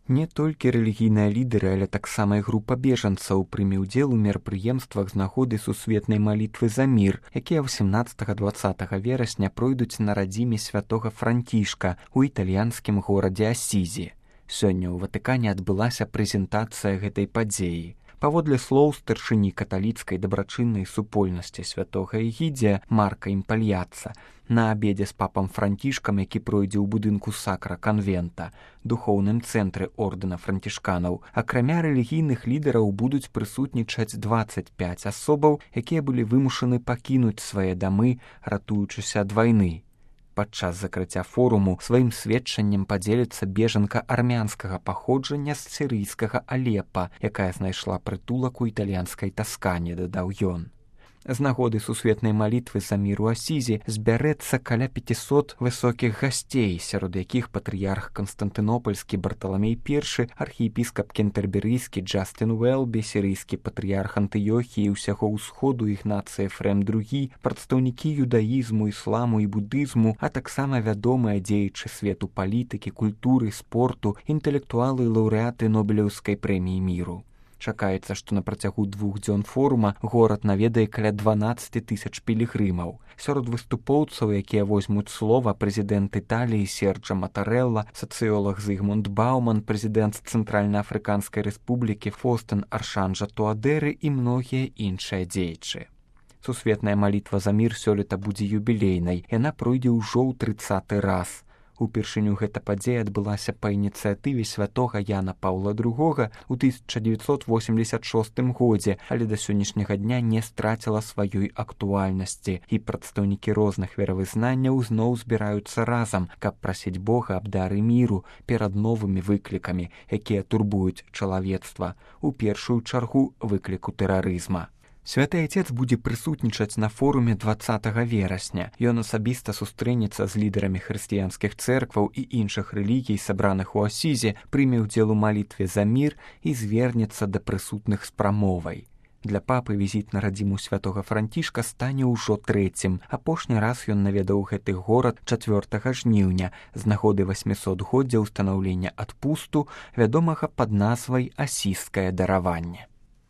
Не толькі рэлігійныя лідары, але таксама і група бежанцаў прыме ўдзел у мерапрыемствах з нагоды сусветнай малітвы за мір, якія 18-20 верасня пройдуць на радзіме святога Францішка ў італьянскім горадзе Асізі. Сёння ў Ватыкане адбылася прэзентацыя гэтай падзеі. Паводле слоў старшыні каталіцкай дабрачыннай супольнасці святога Эгідзія Марка Імпальяца, на абедзе з папам Францішкам, які пройдзе ў будынку Сакра Канвента, духоўным цэнтры ордэна францішканаў, акрамя рэлігійных лідараў будуць прысутнічаць 25 асобаў, якія былі вымушаны пакінуць свае дамы, ратуючыся ад вайны. Падчас закрыцця форуму сваім сведчаннем падзеліцца бежанка армянскага паходжання з сірыйскага Алепа, якая знайшла прытулак у італьянскай Таскане, дадаў ён. З нагоды сусветнай малітвы за мір у Асізі збярэцца каля 500 высокіх гасцей, сярод якіх патрыярх Канстантынопольскі Барталамей I, архіепіскап кентэрберыйскі Джастын Уэлбі, сірыйскі патрыярх Антыёхіі і ўсяго ўсходу Ігнацый Эфрем II, прадстаўнікі юдаізму, ісламу і будызму, а таксама вядомыя дзеячы свету палітыкі, культуры, спорту, інтэлектуалы і лаўрэаты Нобелеўскай прэміі міру. Чакаецца, што на працягу 2 дзён форума горад наведае каля 12 000 пілігрымаў. Сярод выступоўцаў, якія возьмуць слова, прэзідэнт Італіі Серджа Матарэлла, сацыёлаг Зігмунд Бауман, прэзідэнт Цэнтральна-Афрыканскай рэспублікі Фостэн Аршанжа Туадэры і многія іншыя дзеячы. Сусветная малітва за мір сёлета будзе юбілейнай, яна пройдзе ўжо ў 30-й раз. Упершыню гэта падзея адбылася па ініцыятыве святога Яна Паўла II ў 1986 годзе, але да сённяшняга дня не страціла сваёй актуальнасці, і прадстаўнікі розных веравызнанняў зноў збіраюцца разам, каб прасіць Бога аб дары міру перад новымі выклікамі, якія турбуюць чалавецтва, у першую чаргу выкліку тэрарызма. Святы Айцец будзе прысутнічаць на форуме 20 верасня. Ён асабіста сустрэнецца з лідарамі хрысціянскіх цэркваў і іншых рэлігій, сабраных у Асізе, прыме ўдзел у малітве за мір і звернецца да прысутных з прамовай. Для папы візіт на радзіму святога Францішка стане ўжо 3-м. Апошні раз ён наведаў гэты горад 4 жніўня з нагоды 800-годдзя ўстанаўлення адпусту, вядомага пад назвай «Асізскае дараванне».